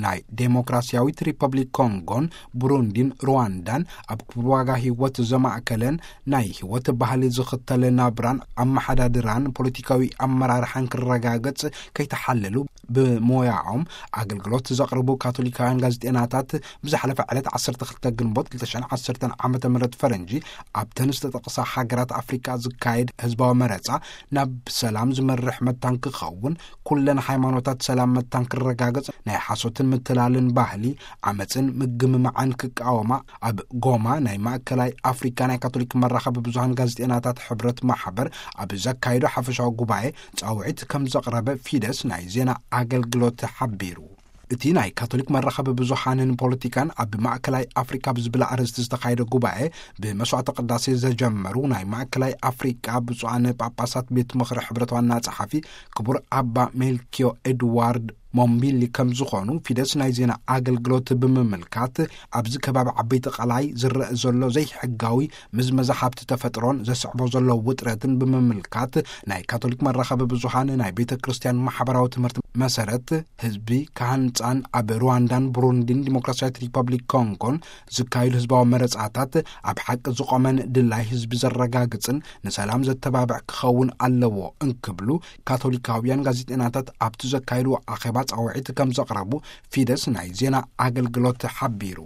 ናይ ዴሞክራሲያዊት ሪፐብሊክ ኮንጎን ብሩንዲን ሩዋንዳን ኣብ ክቡር ዋጋ ህይወት ዘማእከለን ናይ ህይወት ባህሊ ዝኽተል ናብራን ኣመሓዳድራን ፖለቲካዊ ኣመራርሓን ክረጋገጽ ከይተሓለሉ ብሞያኦም ኣገልግሎት ዘቕርቡ ካቶሊካውያን ጋዜጠናታት ብዝሓለፈ ዕለት ዓሰርተ ክልተ ግንቦት ክልተ ሽሕን ዓሰርተን ዓመተ ምህረት ፈረንጂ ኣብተን ዝተጠቕሳ ሃገራት ኣፍሪቃ ዝካየድ ህዝባዊ መረጻ ናብ ሰላም ዝመርሕ መታን ክኸውን፣ ኩለን ሃይማኖታት ሰላም መታን ክረጋገጽ፣ ናይ ሓሶትን ምትላልን ባህሊ ዓመጽን ምግምማዕን ክቃወማ ኣብ ጎማ ናይ ማእከላይ ኣፍሪካ ናይ ካቶሊክ መራኸቢ ብዙሃን ጋዜጠናታት ሕብረት ማሕበር ኣብ ዘካየዶ ሓፈሻዊ ጉባኤ ጻውዒት ከም ዘቕረበ ፊደስ ናይ ዜና ኣገልግሎት ሓቢሩ። እቲ ናይ ካቶሊክ መራኸቢ ብዙሃንን ፖለቲካን ኣብ ማእከላይ ኣፍሪካ ብዝብል ኣርእስቲ ዝተኻየደ ጉባኤ ብመስዋዕተ ቅዳሴ ዘጀመሩ ናይ ማእከላይ ኣፍሪካ ብፁዓን ጳጳሳት ቤት ምኽሪ ሕብረት ዋና ጸሓፊ ክቡር ኣባ ሜልኪዮ ኤድዋርድ ሞምቢሊ ከም ዝኾኑ ፊደስ ናይ ዜና ኣገልግሎት ብምምልካት፣ ኣብዚ ከባቢ ዓበይቲ ቀላይ ዝረአ ዘሎ ዘይሕጋዊ ምዝመዛ ሃብቲ ተፈጥሮን ዘስዕቦ ዘሎ ውጥረትን ብምምልካት፣ ናይ ካቶሊክ መራኸቢ ብዙሃን ናይ ቤተ ክርስቲያን ማሕበራዊ ትምህርቲ መሰረት ህዝቢ ክሃንጻን ኣብ ሩዋንዳን ብሩንዲን ዲሞክራሲያዊት ሪፐብሊክ ኮንጎን ዝካየዱ ህዝባዊ መረጻታት ኣብ ሓቂ ዝቖመን ድላይ ህዝቢ ዘረጋግጽን ንሰላም ዘተባብዕ ክኸውን ኣለዎ እንክብሉ ካቶሊካውያን ጋዜጠናታት ኣብቲ ዘካየድዎ ኣኼባ ጻውዒት ከም ዘቕረቡ ፊደስ ናይ ዜና ኣገልግሎት ሓቢሩ።